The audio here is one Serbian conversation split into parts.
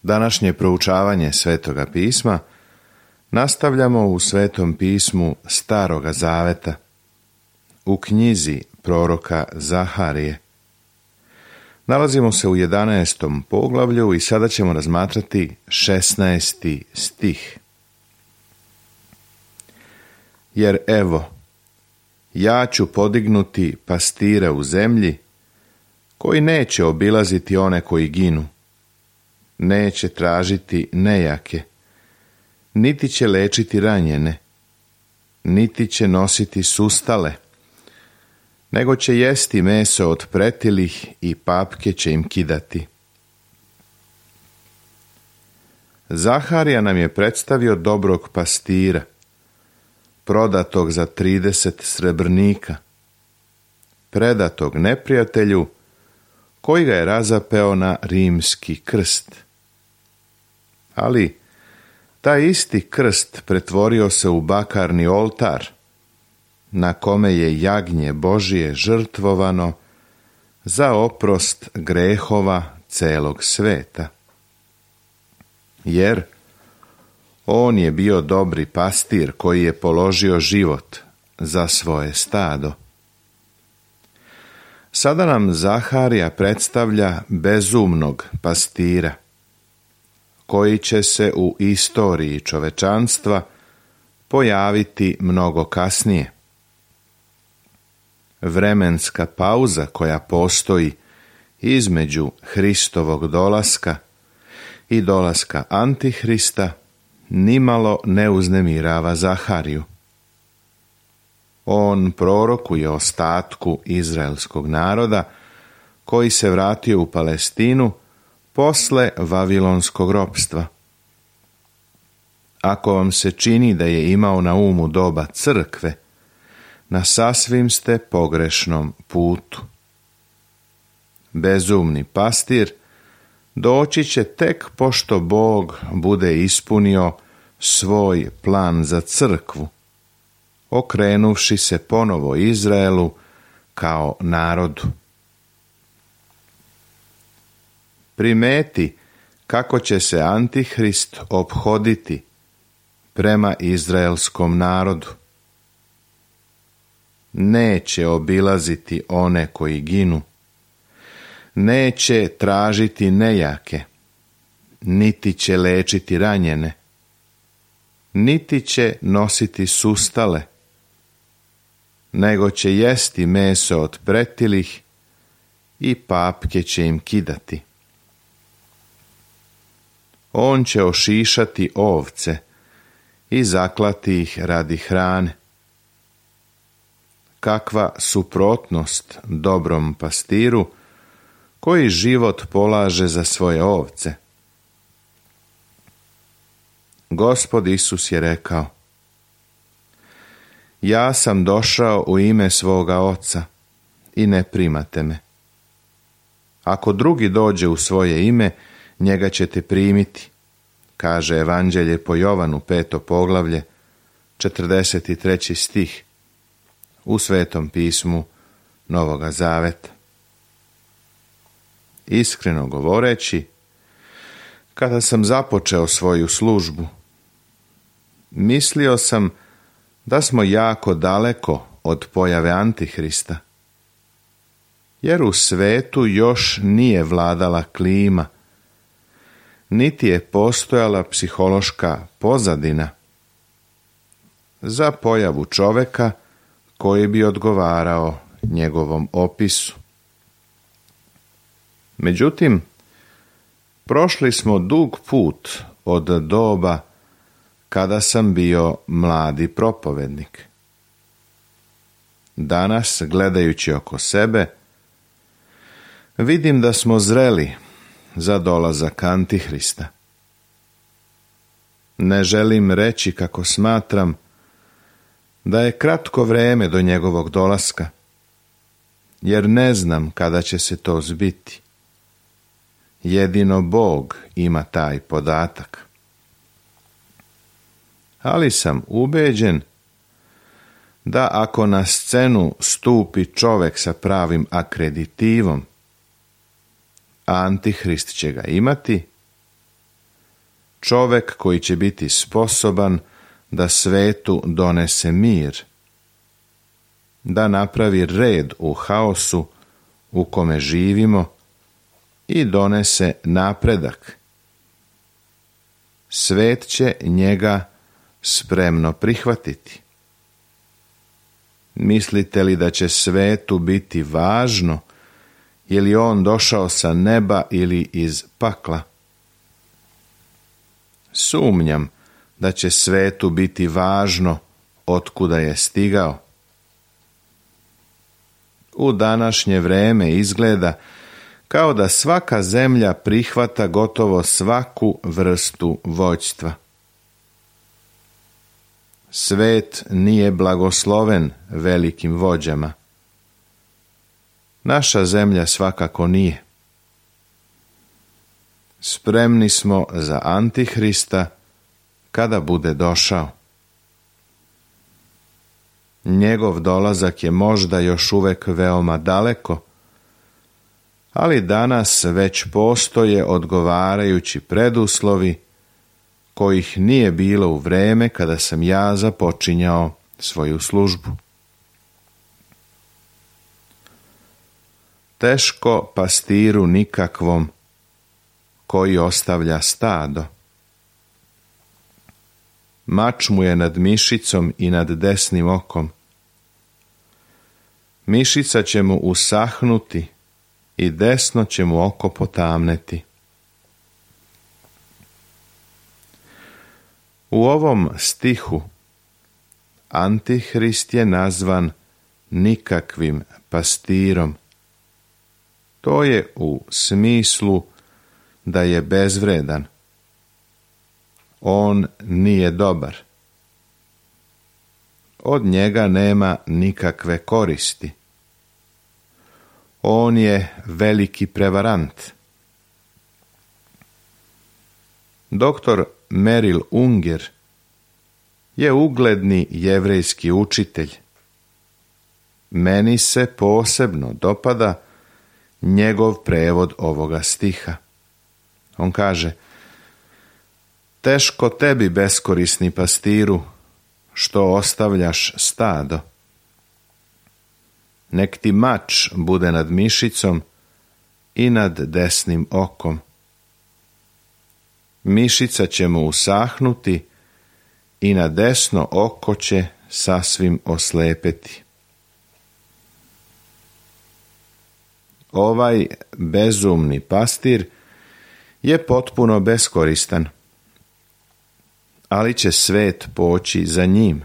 Današnje proučavanje Svetoga pisma nastavljamo u Svetom pismu Staroga Zaveta, u knjizi proroka Zaharije. Nalazimo se u 11. poglavlju i sada ćemo razmatrati 16. stih. Jer evo, ja ću podignuti pastire u zemlji, koji neće obilaziti one koji ginu, neće tražiti nejake, niti će lečiti ranjene, niti će nositi sustale, nego će jesti meso od pretilih i papke će im kidati. Zaharija nam je predstavio dobrog pastira, prodatog za 30 srebrnika, predatog neprijatelju, koji ga je razapeo na rimski krst. Ali taj isti krst pretvorio se u bakarni oltar, na kome je jagnje Božije žrtvovano za oprost grehova celog sveta. Jer on je bio dobri pastir koji je položio život za svoje stado. Sada nam Zaharija predstavlja bezumnog pastira, koji će se u istoriji čovečanstva pojaviti mnogo kasnije. Vremenska pauza koja postoji između Hristovog dolaska i dolaska Antihrista nimalo ne uznemirava Zahariju. On prorokuje o ostatku izraelskog naroda koji se vratio u Palestinu posle vavilonskog ropstva. Ako vam se čini da je imao na umu doba crkve, na sasvim ste pogrešnom putu. Bezumni pastir doći će tek pošto Bog bude ispunio svoj plan za crkvu, okrenuvši se ponovo Izraelu kao narodu. Primeti kako će se Antihrist ophoditi prema izraelskom narodu. Neće obilaziti one koji ginu, neće tražiti nejake, niti će lečiti ranjene, niti će nositi sustale, nego će jesti meso od pretilih i papke će im kidati. On će ošišati ovce i zaklati ih radi hrane. Kakva suprotnost dobrom pastiru koji život polaže za svoje ovce. Gospod Isus je rekao: ja sam došao u ime svoga Oca i ne primate me. Ako drugi dođe u svoje ime, njega ćete primiti, kaže Evanđelje po Jovanu 5. poglavlje, 43. stih, u Svetom pismu Novoga Zaveta. Iskreno govoreći, kada sam započeo svoju službu, mislio sam da smo jako daleko od pojave Antihrista, jer u svetu još nije vladala klima, niti je postojala psihološka pozadina za pojavu čoveka koji bi odgovarao njegovom opisu. Međutim, prošli smo dug put od doba kada sam bio mladi propovednik. Danas, gledajući oko sebe, vidim da smo zreli za dolazak Antihrista. Ne želim reći kako smatram da je kratko vreme do njegovog dolaska, jer ne znam kada će se to zbiti. Jedino Bog ima taj podatak. Ali sam ubeđen da ako na scenu stupi čovek sa pravim akreditivom, Antihrist će ga imati čovek koji će biti sposoban da svetu donese mir, da napravi red u haosu u kome živimo i donese napredak. Svet će njega spremno prihvatiti. Mislite li da će svetu biti važno je li on došao sa neba ili iz pakla? Sumnjam da će svetu biti važno otkuda je stigao. U današnje vreme izgleda kao da svaka zemlja prihvata gotovo svaku vrstu vođstva. Svet nije blagosloven velikim vođama. Naša zemlja svakako nije. Spremni smo za Antihrista kada bude došao. Njegov dolazak je možda još uvek veoma daleko, ali danas već postoje odgovarajući preduslovi kojih nije bilo u vreme kada sam ja započinjao svoju službu. Teško pastiru nikakvom koji ostavlja stado. Mač mu je nad mišicom i nad desnim okom. Mišica će mu usahnuti i desno će mu oko potamneti. U ovom stihu Antihrist je nazvan nikakvim pastirom. To je u smislu da je bezvredan. On nije dobar. Od njega nema nikakve koristi. On je veliki prevarant. Doktor Merrill Unger je ugledni jevrejski učitelj. Meni se posebno dopada njegov prevod ovoga stiha. On kaže: teško tebi, beskorisni pastiru, što ostavljaš stado. Nek ti mač bude nad mišicom i nad desnim okom. Mišica će mu usahnuti i na desno oko će sasvim oslepeti. Ovaj bezumni pastir je potpuno beskoristan, ali će svet poći za njim.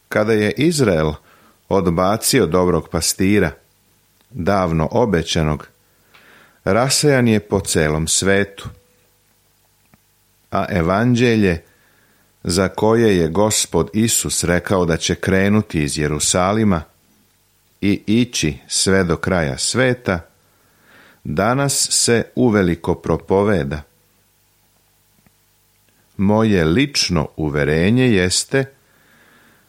Kada je Izrael odbacio dobrog pastira, davno obećanog, rasejan je po celom svetu. A evanđelje, za koje je Gospod Isus rekao da će krenuti iz Jerusalima i ići sve do kraja sveta, danas se uveliko propoveda. Moje lično uverenje jeste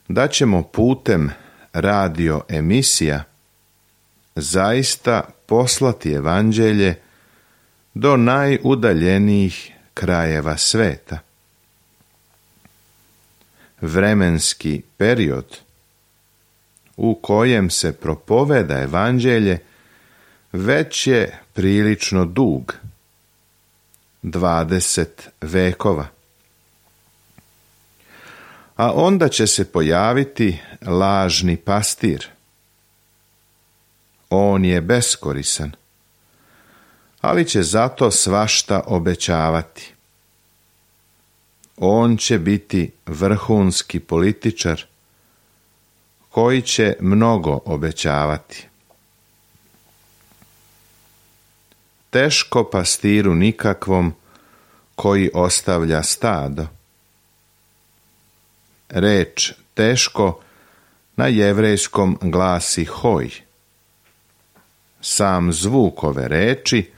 da ćemo putem radio emisija zaista poslati evanđelje do najudaljenijih krajeva sveta. Vremenski period u kojem se propoveda evanđelje već je prilično dug, 20 vekova. A onda će se pojaviti lažni pastir. On je beskorisan, ali će zato svašta obećavati. On će biti vrhunski političar koji će mnogo obećavati. Teško pastiru nikakvom koji ostavlja stado. Reč teško na jevrejskom glasi hoj. Sam zvuk ove reči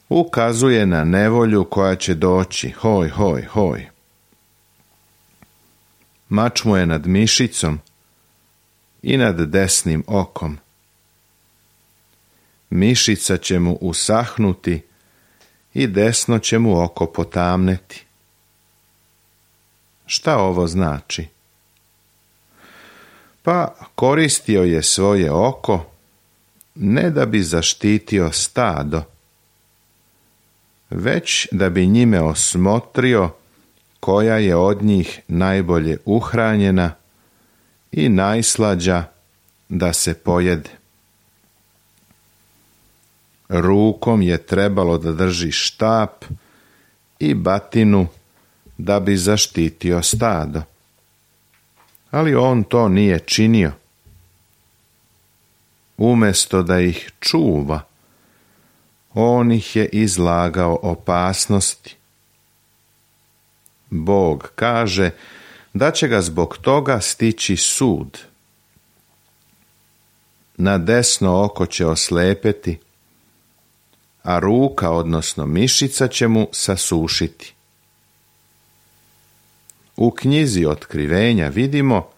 ukazuje na nevolju koja će doći, hoj, hoj, hoj. Mač mu je nad mišicom i nad desnim okom. Mišica će mu usahnuti i desno će mu oko potamneti. Šta ovo znači? Pa koristio je svoje oko ne da bi zaštitio stado, već da bi njime osmotrio koja je od njih najbolje uhranjena i najslađa da se pojede. Rukom je trebalo da drži štap i batinu da bi zaštitio stado, ali on to nije činio. Umjesto da ih čuva, on ih je izlagao opasnosti. Bog kaže da će ga zbog toga stići sud. Na desno oko će oslepeti, a ruka, odnosno mišica, će mu sasušiti. U knjizi Otkrivenja vidimo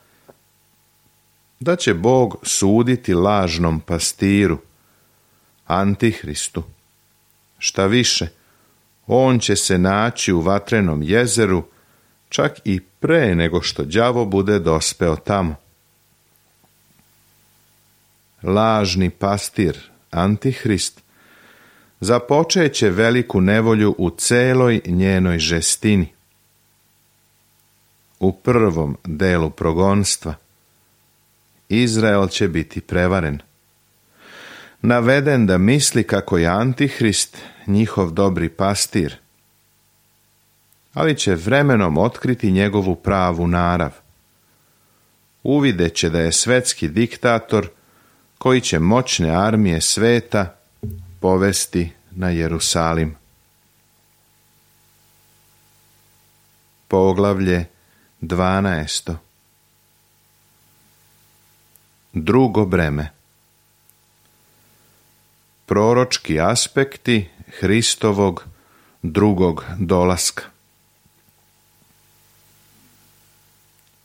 da će Bog suditi lažnom pastiru, Antihristu. Šta više, on će se naći u vatrenom jezeru čak i pre nego što đavo bude dospeo tamo. Lažni pastir, Antihrist, započeće veliku nevolju u celoj njenoj žestini. U prvom delu progonstva Izrael će biti prevaren, naveden da misli kako je Antihrist njihov dobri pastir, ali će vremenom otkriti njegovu pravu narav. Uvidjet će da je svetski diktator koji će moćne armije sveta povesti na Jerusalim. Poglavlje 12. Drugo breme. Proročki aspekti Hristovog drugog dolaska.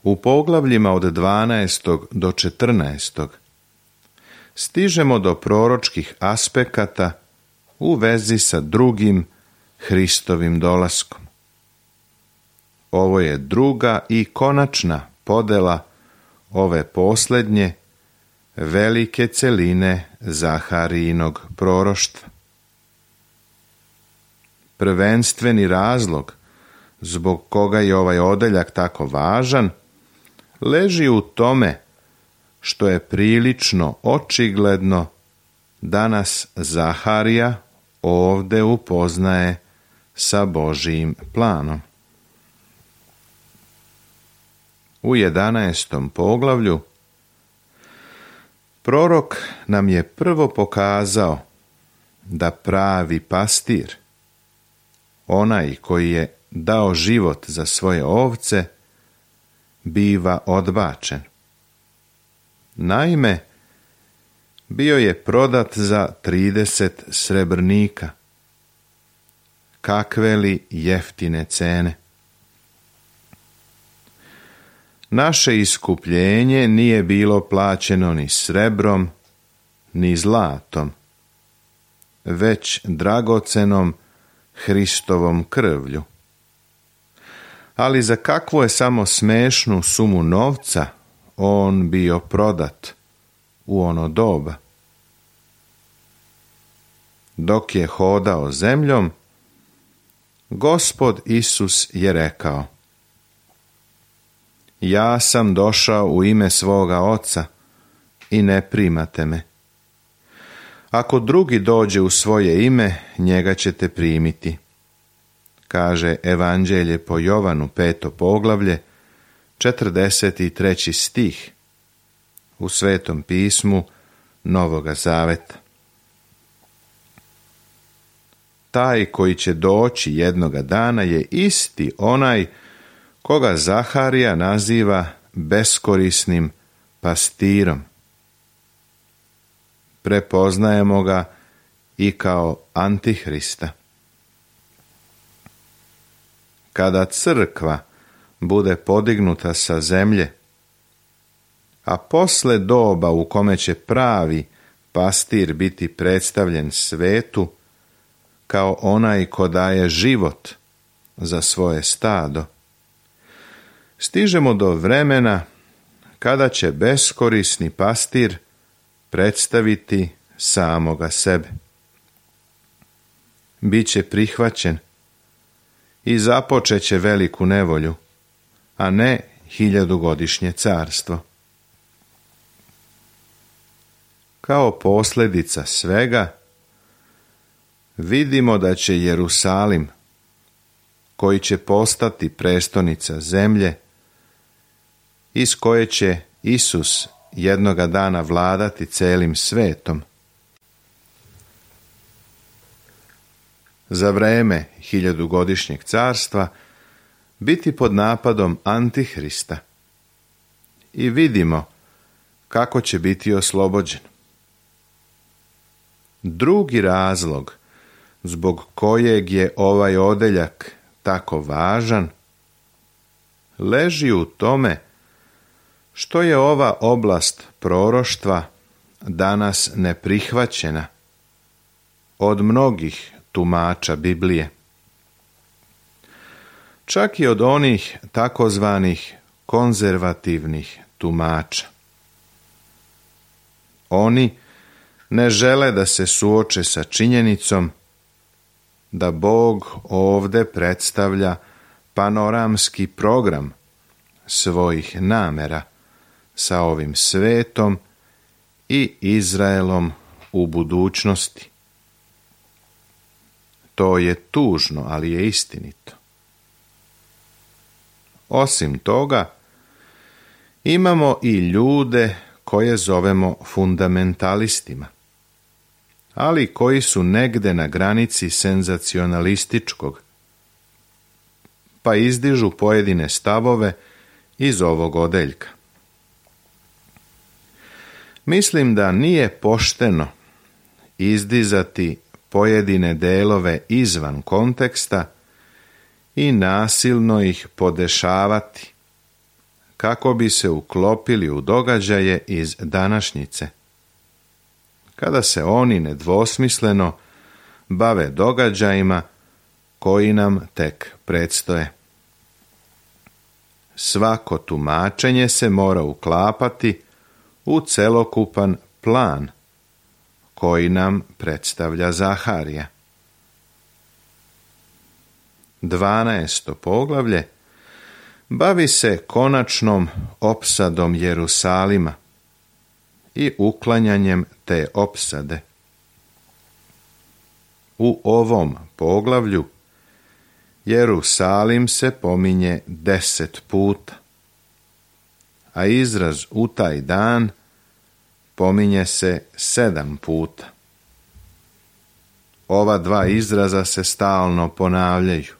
U poglavljima od 12. do 14. stižemo do proročkih aspekata u vezi sa drugim Hristovim dolaskom. Ovo je druga i konačna podela ove posljednje velike celine Zaharijinog proroštva. Prvenstveni razlog zbog koga je ovaj odeljak tako važan leži u tome što je prilično očigledno da nas Zaharija ovde upoznaje sa Božijim planom. U 11. poglavlju prorok nam je prvo pokazao da pravi pastir, onaj koji je dao život za svoje ovce, biva odbačen. Naime, bio je prodat za 30 srebrnika. Kakve li jeftine cene! Naše iskupljenje nije bilo plaćeno ni srebrom, ni zlatom, već dragocenom Hristovom krvlju. Ali za kakvu je samo smešnu sumu novca on bio prodat u ono doba? Dok je hodao zemljom, Gospod Isus je rekao: ja sam došao u ime svoga Oca i ne primate me. Ako drugi dođe u svoje ime, njega ćete primiti. Kaže Evanđelje po Jovanu 5. poglavlje, 43. stih u Svetom pismu Novoga Zaveta. Taj koji će doći jednoga dana je isti onaj koga Zaharija naziva beskorisnim pastirom. Prepoznajemo ga i kao Antihrista. Kada crkva bude podignuta sa zemlje, a posle doba u kome će pravi pastir biti predstavljen svetu, kao onaj ko daje život za svoje stado. Stižemo do vremena kada će beskorisni pastir predstaviti samoga sebe. Biće prihvaćen i započeće veliku nevolju, a ne 1000-godišnje carstvo. Kao posljedica svega, vidimo da će Jerusalim, koji će postati prestonica zemlje, iz koje će Isus jednoga dana vladati celim svetom, za vreme 1000-godišnjeg carstva biti pod napadom Antihrista i vidimo kako će biti oslobođen. Drugi razlog zbog kojeg je ovaj odeljak tako važan leži u tome što je ova oblast proroštva danas neprihvaćena od mnogih tumača Biblije. Čak i od onih takozvanih konzervativnih tumača. Oni ne žele da se suoče sa činjenicom da Bog ovdje predstavlja panoramski program svojih namera sa ovim svetom i Izraelom u budućnosti. To je tužno, ali je istinito. Osim toga, imamo i ljude koje zovemo fundamentalistima, ali koji su negde na granici senzacionalističkog, pa izdižu pojedine stavove iz ovog odeljka. Mislim da nije pošteno izdizati pojedine delove izvan konteksta i nasilno ih podešavati kako bi se uklopili u događaje iz današnjice, kada se oni nedvosmisleno bave događajima koji nam tek predstoje. Svako tumačenje se mora uklapati u celokupan plan koji nam predstavlja Zaharija. 12. poglavlje bavi se konačnom opsadom Jerusalima i uklanjanjem te opsade. U ovom poglavlju Jerusalim se pominje 10 puta, a izraz u taj dan pominje se 7 puta. Ova dva izraza se stalno ponavljaju.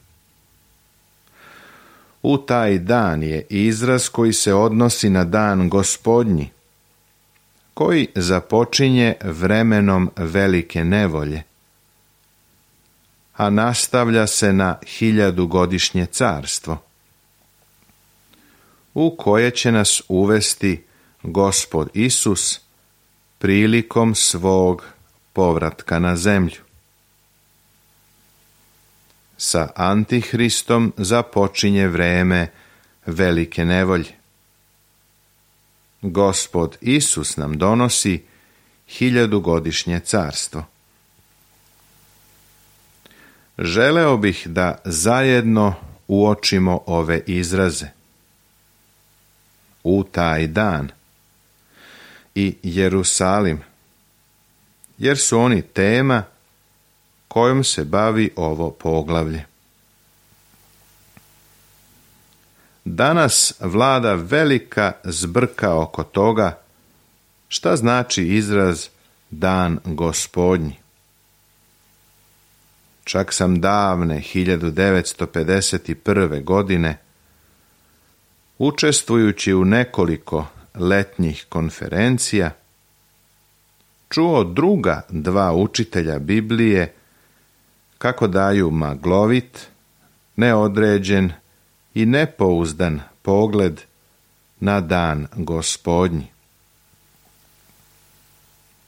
U taj dan je izraz koji se odnosi na dan Gospodnji, koji započinje vremenom velike nevolje, a nastavlja se na 1000-godišnje carstvo, u koje će nas uvesti Gospod Isus prilikom svog povratka na zemlju. Sa Antihristom započinje vreme velike nevolje. Gospod Isus nam donosi 1000-godišnje carstvo. Želeo bih da zajedno uočimo ove izraze. U taj dan i Jerusalim, jer su oni tema kojom se bavi ovo poglavlje. Danas vlada velika zbrka oko toga šta znači izraz dan Gospodnji. Čak sam davne 1951. godine, učestvujući u nekoliko letnjih konferencija, čuo druga dva učitelja Biblije kako daju maglovit, neodređen i nepouzdan pogled na dan Gospodnji.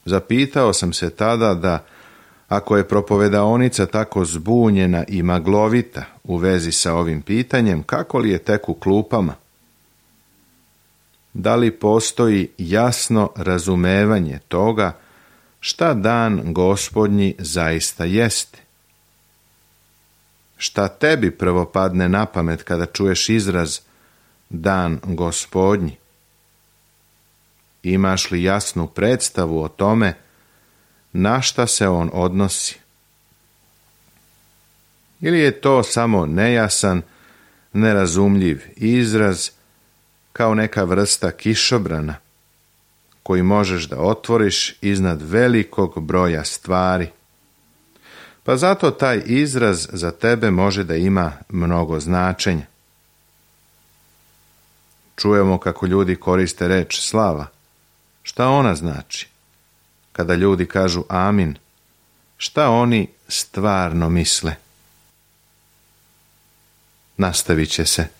Zapitao sam se tada da Ako je propovedaonica tako zbunjena i maglovita u vezi sa ovim pitanjem, kako li je tek u klupama? Da li postoji jasno razumevanje toga šta dan Gospodnji zaista jeste? Šta tebi prvo padne na pamet kada čuješ izraz dan Gospodnji? Imaš li jasnu predstavu o tome na šta se on odnosi? Ili je to samo nejasan, nerazumljiv izraz kao neka vrsta kišobrana koji možeš da otvoriš iznad velikog broja stvari? Pa zato taj izraz za tebe može da ima mnogo značenja. Čujemo kako ljudi koriste reč slava. Šta ona znači? Kada ljudi kažu amin, šta oni stvarno misle? Nastavit će se.